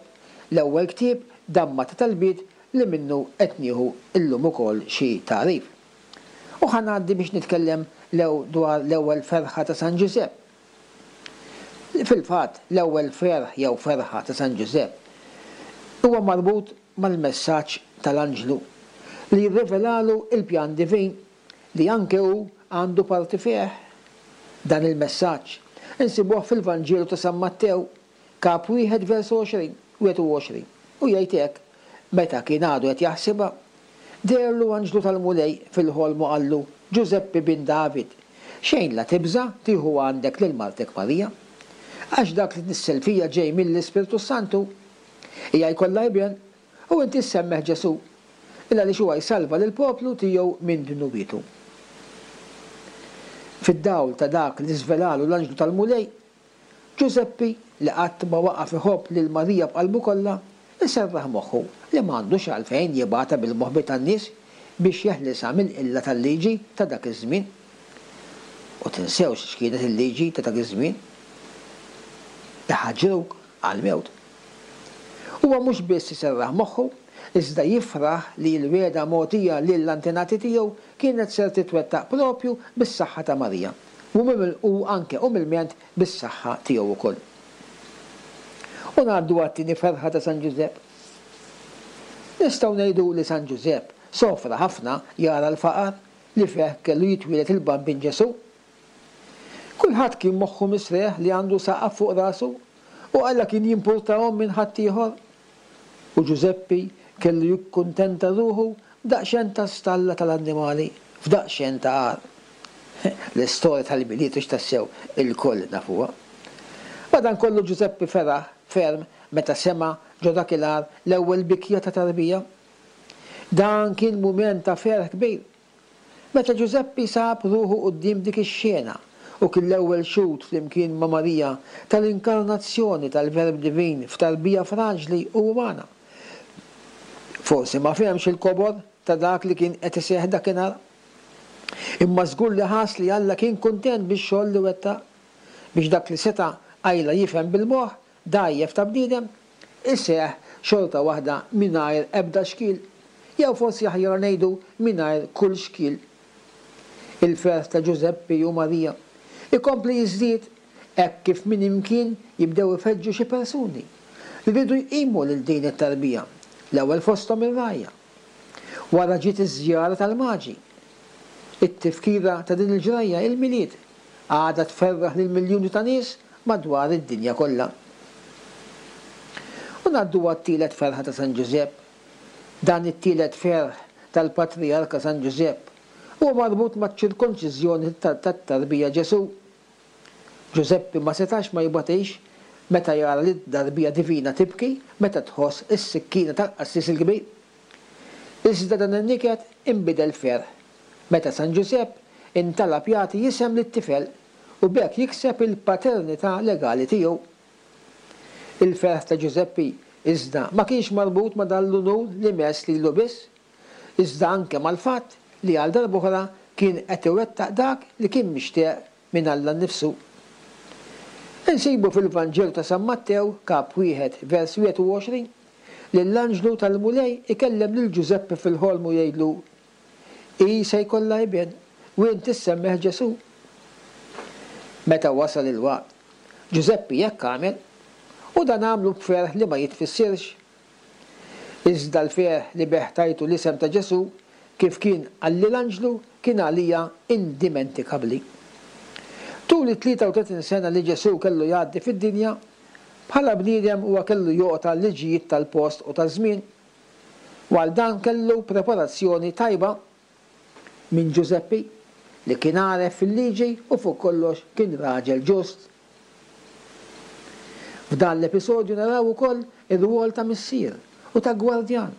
l-ewwel ktieb, Damma ta' Talbiet, li minnu qed nieħu llum ukoll xi tagħrif. U ħa ngħaddi biex nitkellem lew dwar l-ewwel ferħa ta' San Ġużepp. Fil-fatt, l-ewwel ferħ jew ferħa ta' San Ġużepp huwa marbut mal-messaġġ tal-anġlu li rrivelalu l-pjan divin li anke hu għandu parti fih. Dan il-messaġġ insibuh fil-Vanġelu ta' San Mattew, Kap wieħed versu 20, 21, u jgħid hekk, Meta kien għadu qed jaħsibha, deherlu anġlu tal-Mulej fil-ħolm u qallu, Ġużeppi bin David, xejn la tibża' tieħu għandek lil martek Marija, għax dak li tnissel fija ġej mill-Ispirtu s-Santu. Hija jkollha iben, u inti ssemmih Ġesù, il-għaliex huwa jsalva lill-poplu tiegħu minn dnubietu. Fid-dawl ta' dak li żvelalu l-anġlu tal-Mulej, Ġużeppi, li qatt ma waqaf iħobb lil Marija b'qalbu kollha, iserraħ moħħu li m'għandux għalfejn jibgħatha bil-moħbi tan-nies biex jeħlisha mill-qilla tal-liġi ta' dak iż-żmien. U tinsewx x'kienet il-liġi ta' dak iż-żmien. Iħaġġruk għall-mewt. Huwa mhux biss iserraħ moħħu, iżda jifraħ li l-wegħda mogħtija lill-antenati tiegħu kienet ser titwettaq proprju bis-saħħa ta' Marija, u anke umilment bis-saħħa tiegħu wkoll. U ngħaddu għat-tieni ferħa ta' San Ġużepp. Nistgħu ngħidu li San Ġużepp sofra ħafna jara l-faqar li fih kellu jitwieled il-Bambin Ġesù. Kulħadd kien moħħu misreħ li għandu saqaf fuq rasu u Alla kien jimpurtahom minn ħaddieħor. U Ġużeppi kellu jikkuntenta ruħu b'daqsxejn ta' stalla tal-annimali f'daqsxejn ta' għar. L-istorja tal-Milied hux tassew ilkoll nafuha. Madankollu Ġużeppi feraħ ferm meta sema' ġo dak il-għar l-ewwel bikja ta' tarbija. Dan kien mument ta' ferħ kbir. Meta Ġużeppi sab ruħu quddiem dik ix-xena u kien l-ewwel xhud flimkien ma' Marija tal-inkarnazzjoni tal-Verb Divin f'tarbija fraġli u umana. Forsi ma fehemx il-kobor ta' dak li kien qed iseħħ dakinhar. Imma żgur li ħass li Alla kien kuntent bix-xogħol li wettaq, biex dak li seta' qajla jifhem bil-moħħ dgħajjef ta' bniedem, iseħħ xorta waħda mingħajr ebda xkiel, jew forsi aħjar ngħidu mingħajr kull xkiel. Il-ferħ ta' Ġużeppi u Marija jkompli jiżdied hekk kif minn imkien jibdew ifeġġu xi persuni li riedu jqimu lil din it-tarbija, l-ewwel fosthom ir-rgħajja. Wara ġiet iż-żjara tal-Maġi. It-tifkira ta' din il-ġrajja, il-Milied, għadha tferraħ lil miljuni ta' nies madwar id-dinja kollha. U ngħaddu għat-tielet ferħa ta' San Ġużepp. Dan it-tielet ferħ tal-Patrijarka San Ġużepp huwa marbut maċ-ċirkonċiżjoni tat-tarbija Ġesù. Ġużeppi ma setax ma jbatix meta jara lid-darbija divina tibki meta tħoss is-sikkina tal-qassis il-kbir. Iżda dan in-niket inbidel f'ferħ meta San Ġużepp intalab jagħti isem lit-tifel u b'hekk jikseb il-paternità legali tiegħu. Il-ferħ ta' Ġużeppi, iżda, ma kienx marbut ma' dan l-unur li mess lilu biss, iżda anke mal-fatt li għal darb'oħra kien qed iwettaq dak li kien mixtieq minn Alla nnifsu. Insibu fil-Vanġelu ta' San Mattew, Kap wieħed, vers 21, li l-anġlu tal-Mulej ikellem lil Ġużeppi fil-ħolm u jgħidlu, Hi se jkollha iben, u int issemmih Ġesù. Meta wasal il-waqt, Ġużeppi hekk għamel, u dan għamlu b'ferħ li ma jitfissirx. Iżda l-ferħ li bih tajtu l-isem ta' Ġesù, kif kien qalli l-anġlu, kien għalija indimentikabbli. Tul it-33 sena li Ġesù kellu jgħaddi fid-dinja, bħala bniedem huwa kellu joqgħod għal-liġijiet tal-post u taż-żmien. U għal dan kellu preparazzjoni tajba minn Ġużeppi, li kien għaref fil-liġi u fuq kollox kien raġel ġust. F'dan l-episodju naraw ukoll ir-rwol ta' missier u ta' gwardjan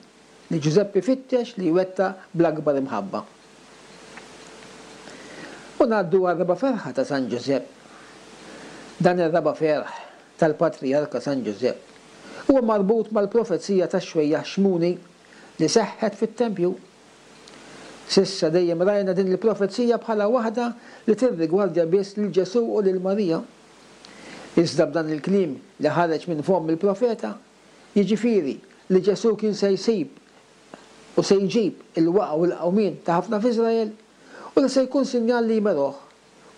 li Ġużeppi fittex li jwettaq bl-akbar imħabba. U ngħaddu għar-raba' ferħa ta' San Ġużepp. Dan ir-raba' ferħ tal-Patrijarka San Ġużepp huwa marbut mal-profezija tax-xwejjaħ Xmuni li seħħet fit-tempju. S'issa dejjem rajna din il-profezija bħala waħda li tirrigwardja biss lil Ġesù u lil Marija. Iżda b'dan il-kliem li ħareġ minn fomm il-profeta, jiġifieri li Ġesù kien se jsib u se jġib il-waqgħa u l-qawmien ta' ħafna f'Iżrael, u li se jkun sinjal li jmeruh,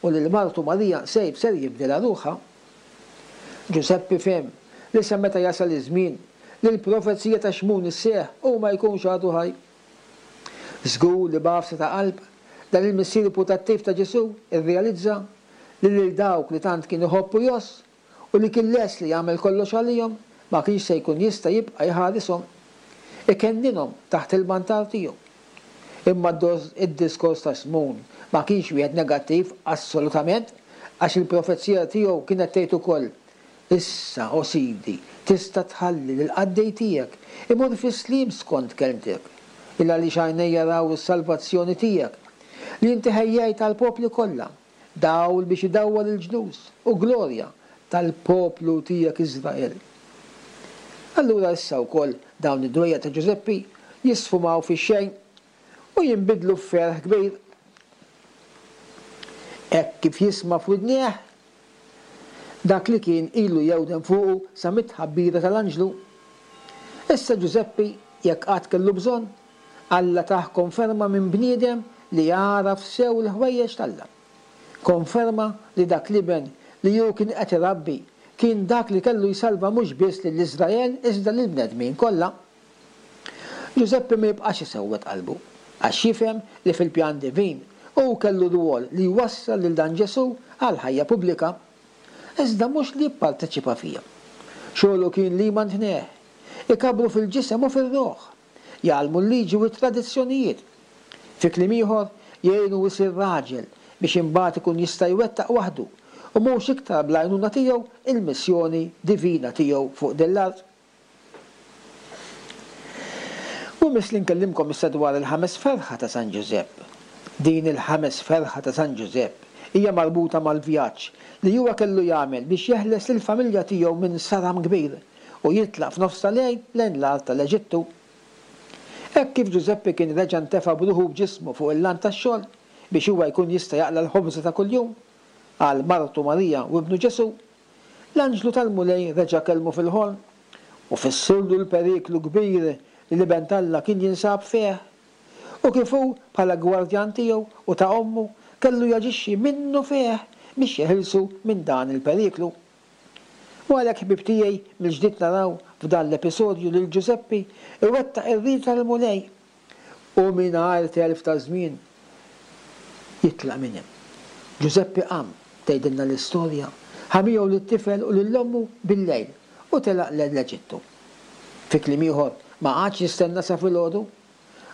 u lil martu Marija sejf ser jibdilha ruħha. Ġużeppi fehem li sa meta jasal iż-żmien li l-profezija ta' Xmun isseħħ hu ma jkunx għadu ħaj. Żgur li b'għafsa ta' qalb, dan il-missier putattiv ta' Ġesù rrealizza li lil dawk li tant kien iħobb u jgħożż u li kien lest li jagħmel kollox għalihom ma kienx se jkun jista' jibqa' jħarishom, ikenninhom taħt il-mantar tiegħu. Imma d-diskors ta' Xmun ma kienx wieħed negattiv assolutament għax il-profezija tiegħu kienet tgħid ukoll, Issa, o Sidi, tista' tħalli lill-qaddej tiegħek imur fis-sliem skont kelmtek, il-għaliex għajnejja raw is-salvazzjoni tiegħek, li inti ħejjejt għall-popli kollha, dawl biex idawwal il-ġnus, u glorja tal-poplu tiegħek Iżrael. Allura issa wkoll dawn id-dwejjaq ta' Ġużeppi jisfumaw fix-xejn u jinbidlu f'ferħ kbir. Hekk kif jisma' f'widnejh Dak li kien ilu jewden fuqu sa mit-tħabbira tal-anġlu. Issa Ġużeppi, jekk qatt kellu bżonn, Alla tah konferma minn bniedem li għaraf sew il-ħwejjeġ t'Alla. Konferma li dak l-iben li hu kien qed irabbi kien dak li kellu jsalva mhux biss lil Iżrael iżda lill-bnedmin kollha. Ġużeppi ma jibqax isewwed qalbu, għax jifhem li fil-pjan divin hu kellu rwol li jwassal lil dan Ġesù għall-ħajja pubblika, iżda mhux li jipparteċipa fiha. Xogħlu kien li jmantnih, ikabbru fil-ġisem u fir-ruħ, jgħallmu l-liġi u t-tradizzjonijiet. Fi kliem ieħor, jgħinu jsir raġel biex imbagħad ikun jista' jwettaq waħdu, u mhux iktar bl-għajnuna tiegħu, il-missjoni divina tiegħu fuq din l-art. U imiss li nkellimkom issa dwar il-ħames ferħa ta' San Ġużepp. Din il-ħames ferħa ta' San Ġużepp hija marbuta mal-vjaġġ li huwa kellu jagħmel biex jeħles lill-familja tiegħu minn saram kbir u jitlaq f'nofs ta' lejl lejn l-art tal-Eġittu. Hekk kif Ġużeppi kien reġa' ntefa' b'ruħu u b'ġismu fuq il-lant tax-xogħol biex huwa jkun jista' jaqla' l-ħobża ta' kuljum għal martu Marija u ibnu Ġesù, L-anġlu tal-Mulej reġa' kellmu fil-ħolm u fissirlu l-periklu kbir li l-Iben t'Alla kien jinsab fih, u kif hu, bħala gwardjan tiegħu u ta' ommu, kellu jaġixxi minnufih biex jeħilsu minn dan il-periklu. U għalhekk, ħbieb tiegħi, mill-ġdid naraw f'dan l-episodju lil Ġużeppi iwettaq ir-rieda tal-Mulej, u mingħajr telf ta' żmien. Jitlaq minn hemm. Ġużeppi qam, tgħidilna l-istorja, ħa miegħu lit-tifel u lil ommu bil-lejl u telaq lejn l-Eġittu. Fi kliem ieħor, ma qagħadx jistenna sa filgħodu.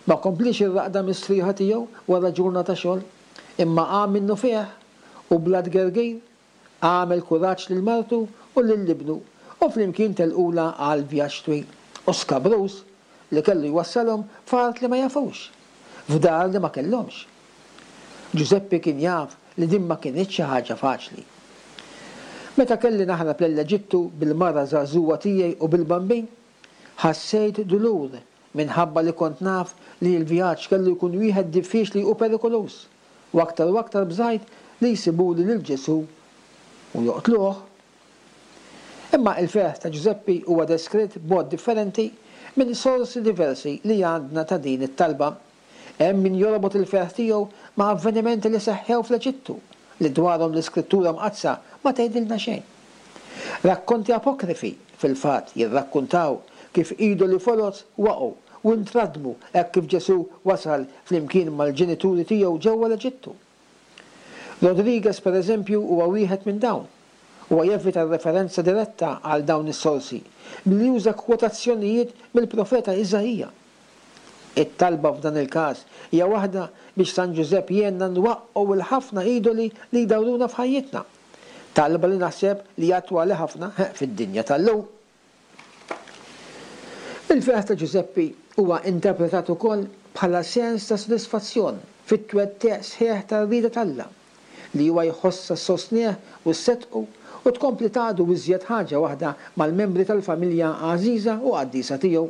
Ma kompliex ir-raqda mistrieħa tiegħu wara ġurnata xogħol, imma qam minnufih u bla tgergir għamel kuraġġ lil martu u lil ibnu u flimkien telqulha għal vjaġġ twil u skabruż li kellu jwassalhom f'art li ma jafux, f'dar li ma kellhomx. Ġużeppi kien jaf li din ma kinitx xi ħaġa faċli. Meta kelli naħrab lejn l-Eġittu bil-mara żagħżugħa tiegħi u bil-Bambin, ħassejt dulur minħabba li kont naf li l-vjaġġ kellu jkun wieħed diffiċli u perikoluż, u aktar u aktar bżajt li jsibuli lil Ġesù u joqtluh. Imma il-ferħ ta' Ġużeppi huwa deskritt b'mod differenti minn sorsi diversi li għandna ta' din it-talba. Hemm min jorbot il-ferħ tiegħu ma' avvenimenti li seħħew fl-Eġittu, li dwarhom l-Iskrittura Mqaddsa ma tgħidilna xejn. Rakkonti apokrifi, fil-fatt, jirrakkuntaw kif idoli foloz waqgħu u ntradmu hekk kif Ġesù wasal flimkien mal-ġenituri tiegħu ġewwa l-Eġittu. Rodriguez, per eżempju, huwa wieħed minn dawn. Huwa jevita r-referenza diretta għal dawn is-sorsi billi juża kwotazzjonijiet mill-profeta Iżaija. It-talba f'dan il-każ hija waħda biex San Ġużepp jgħinna nwaqqgħu l-ħafna idoli li jdawruna f'ħajjitna. Talba li naħseb li hija attwali ħafna fid-dinja tal-lum. Il-ferħ ta' Ġużeppi huwa interpretat ukoll bħala sens ta' sodisfazzjon fit-twettiq sħiħ tar-rieda t'Alla, li huwa jħossha ssostnih u sseddqu u tkompli tgħadu iżjed ħaġa waħda mal-membri tal-familja għażiża u qaddisa tiegħu.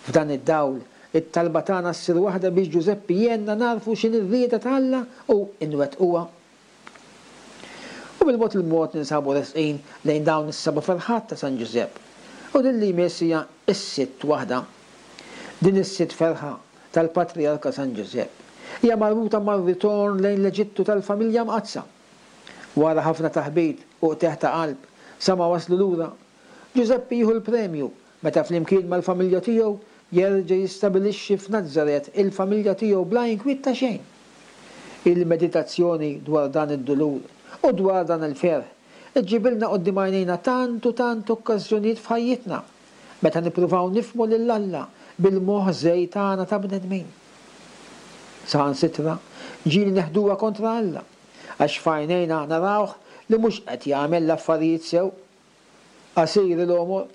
F'dan id-dawl, it-talba tagħna ssir waħda biex Ġużeppi jgħinna nagħrfu x'inhi r-rieda ta' Alla u nwettquha. U bil-mod il-mod ninsabu resqin lejn dawn is-seba' ferħat ta' San Ġużepp, u din li jmiss hija s-sitt waħda. Din is-sitt ferħa tal-Patrijarka San Ġużepp hija marbuta mar-ritorn lejn l-Eġittu tal-Familja Mqaddsa. Wara ħafna taħbit u qtigħ ta' qalb sa ma waslu lura, Ġużeppi jieħu l-premju meta flimkien mal-familja tiegħu jerġa' jistabilixxi f'Nazaret il-familja tiegħu bla inkwiet ta' xejn. Il-meditazzjoni dwar dan id-dulur u dwar dan il-ferħ iġġibilna quddiem għajnejna tant u tant okkażjonijiet f'ħajjitna meta nippruvaw nifhmu lil Alla bil-moħħ żgħir tagħna ta' bnedmin. Saħansitra ġieli neħduha kontra Alla għax f'għajnejna narawh li mhux qed jagħmel l-affarijiet sew. Qasir il-għomor.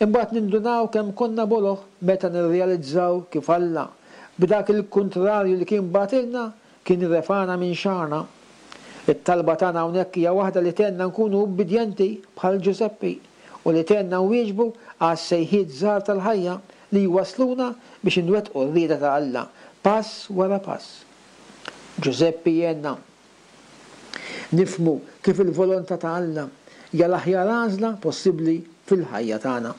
Imbagħad nindunaw kemm konna boloh meta nirrealizzaw kif Alla, b'dak il-kuntrarju li kien bagħtilna, kien refagħna minn xagħarna. It-talba tagħna hawnhekk hija waħda li tgħinna nkunu ubbidjenti bħal Ġużeppi u li tgħinna nwieġbu għas-sejħiet żgħar tal-ħajja li jwassluna biex inwettqu r-rieda ta' Alla pass wara pass. Ġużeppi jgħinna Nifhmu kif il-volontà ta' Alla hija l-aħjar għażla possibbli fil-ħajja tagħna.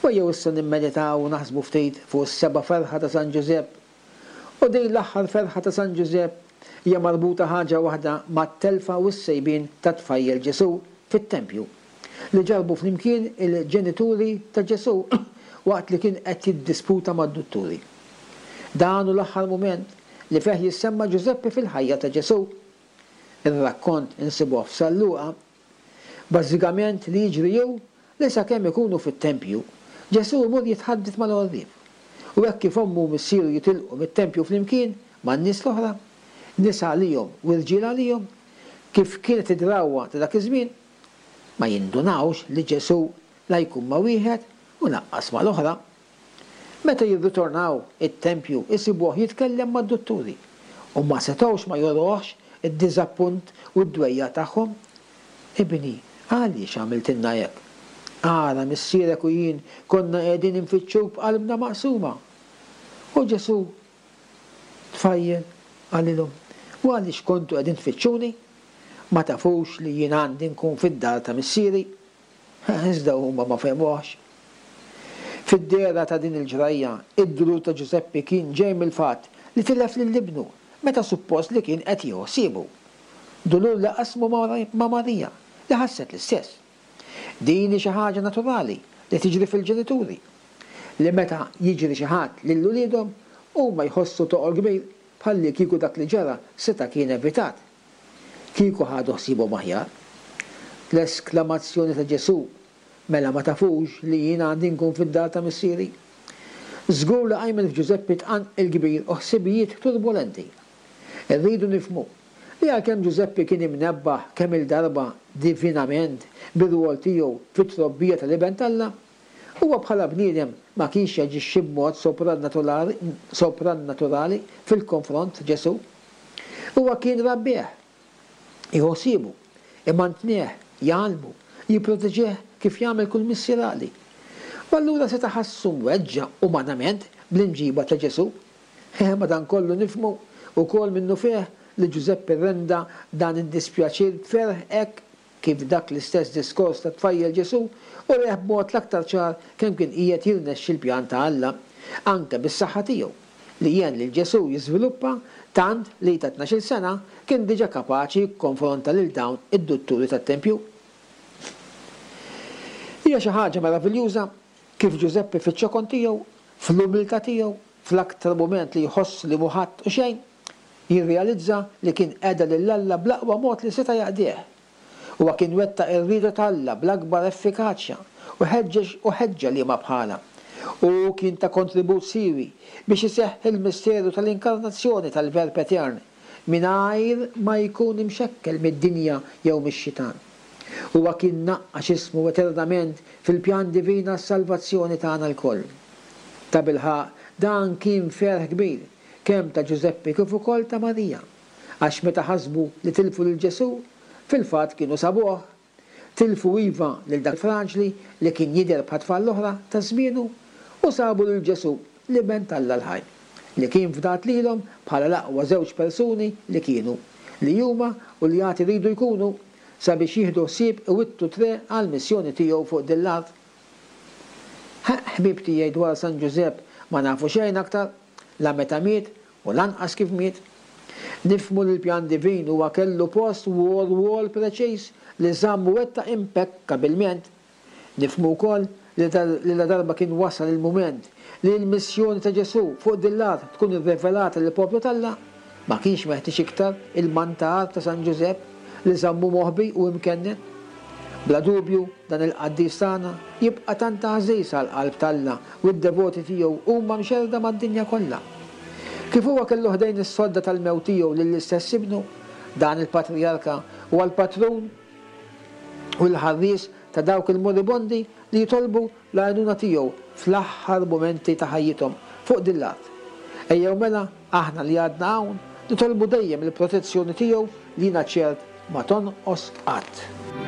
U ejjew issa nimmeditaw u naħsbu ftit fuq is-seba' ferħa ta' San Ġużepp. U din l-aħħar ferħa ta' San Ġużepp hija marbuta ħaġa waħda mat-telfa u s-sejbien tat-tfajjel Ġesù fit-tempju, li ġarrbu flimkien il-ġenituri ta' Ġesù waqt li kien qed jiddisputa mad-dutturi. Dan hu l-aħħar mument li fih jissemma Ġużeppi fil-ħajja ta' Ġesù. Ir-rakkont insibuh f'San Luqa. Bażikament li jiġri hu li sakemm ikunu fit-tempju, Ġesù imur jitħadded mal-għorrief. U hekk kif ommu u missieru jitilqu mit-tempju flimkien man-nies l-oħra, nisa għalihom u rġiel għalihom, kif kienet id-drawwa ta' dak iż-żmien, ma jindunawx li Ġesù la jkun ma' wieħed u lanqas mal-oħra. Meta jirritornaw it-tempju jsibuh jitkellem mad-dutturi u ma setgħux ma juruhx id-diżappunt u d-dwejjaq tagħhom. Ibni, għaliex għamiltilna hekk? Ara, missierek u jien konna qegħdin infittxuk b'qalbna maqsuma. U Ġesù, tfajjel, qalilhom, U għaliex kontu qegħdin tfittxuni? Ma tafux li jien għandi nkun fid-dar ta' Missieri? Iżda huma ma fehmuhx. Fid-dehra ta' din il-ġrajja, id-dulur ta' Ġużeppi kien ġej mill-fatt li tilef lil ibnu meta suppost li kien qed jieħu ħsiebu. Dulur li qasmu ma' Marija, li ħasset l-istess. Din hi xi ħaġa naturali li tiġri fil-ġenituri, li meta jiġri xi ħadd lil uliedhom, huma jħossu toqol kbir. bħallikieku dak li ġara seta' kien evitat. Kieku ħadu ħsiebhom aħjar. L-esklamazzjoni ta' Ġesù, Mela ma tafux li jien għandi nkun fid-dar ta' Missieri? Żgur li qajmet f'Ġużeppi tqanqil kbir u ħsibijiet turbulenti. Irridu nifhmu li għalkemm Ġużeppi kien imnebbaħ kemm-il darba divinament bir-rwol tiegħu fit-trobbija tal-Iben t'Alla, huwa bħala bniedem ma kienx jaġixxi b'mod soprannaturali fil-konfront ta' Ġesù. Huwa kien rabbih, jieħu ħsiebu, imantnih, jgħallmu, jipproteġih kif jagħmel kull missier għaqli. U allura seta' ħassu mweġġa' umanament bl-imġiba ta' Ġesù. Madankollu nifhmu wkoll minnufih li Ġużeppi rrenda dan id-dispjaċir b'ferħ hekk kif dak l-istess diskors tat-tfajjel Ġesù ureh b'mod l-aktar ċar kemm kien qiegħed jirnexxi l-pjan ta' Alla, anke bis-saħħa tiegħu, li għen lil Ġesù jiżviluppa tant li ta' tnax-il sena kien diġà kapaċi jikkonfronta lil dawn id-dutturi tat-tempju. Hija xi ħaġa meraviljuża kif Ġużeppi fiċ-ċokon tiegħu, fl-umiltà tiegħu, fl-aktar mument li jħoss li mhu ħadd u xejn, jirrealizza li kien qeda lil Alla bl-aqwa mod li seta' jaqdih. Huwa kien wettaq ir-rieda t'Alla bl-akbar effikaċja u ħeġġeġ u ħeġġa liema bħalha. Hu kien ta kontribut siewi biex iseħħ il-misteru tal-inkarnazzjoni tal-Verb Etern mingħajr ma jkun imxekkel mid-dinja jew mix-xitan. Huwa kien naqqax ismu eternament fil-pjan divin għas-salvazzjoni tagħna lkoll. Tabilħaqq, dan kien ferħ kbir, kemm ta' Ġużeppi kif ukoll ta' Marija, għax meta ħasbu li tilfu lil Ġesù, fil-fatt kienu sabuh. Tilfu iva lil dak il-fraġli li kien jidher bħat-tfal l-oħra ta' żmienu, u sabu lil Ġesù, l-Iben t'Alla l-ħaj, li kien fdat lilhom bħala l-aqwa żewġ persuni li kienu, li huma u li għad iridu jkunu, sabiex jieħdu ħsieb iwittu t-triq għall-missjoni tiegħu fuq din l-art. Ħeqq ħbieb tiegħi dwar San Ġużepp ma nafu xejn aktar, la meta miet u lanqas kif miet. Nifhmu li l-pjan divin huwa kellu post u rwol preċiż li żamm u wettaq impekkabilment. Nifhmu wkoll li ladarba kien wasal il-mument li l-missjoni ta' Ġesù fuq din l-art tkun irrevelata lill-poplu t'Alla, ma kienx meħtieġ iktar il-mantar ta' San Ġużepp li żammu moħbi u imkennen. Bla dubju, dan il-qaddis tagħna jibqa' tant għażiż għall-qalb t'Alla u d-devoti tiegħu huma mxerrda mad-dinja kollha. Kif huwa kellu ħdejn is-sodda tal-mewt tiegħu lill-istess ibnu, dan il-patrijarka huwa l-patrun u l-ħarries ta' dawk il-moribondi li jitolbu l-għajnuna tiegħu fl-aħħar mumenti ta' ħajjithom fuq din l-art. Ejjew mela, aħna li għadna hawn, nitolbu dejjem il-protezzjoni tiegħu li jiena ċert ma tonqos qatt.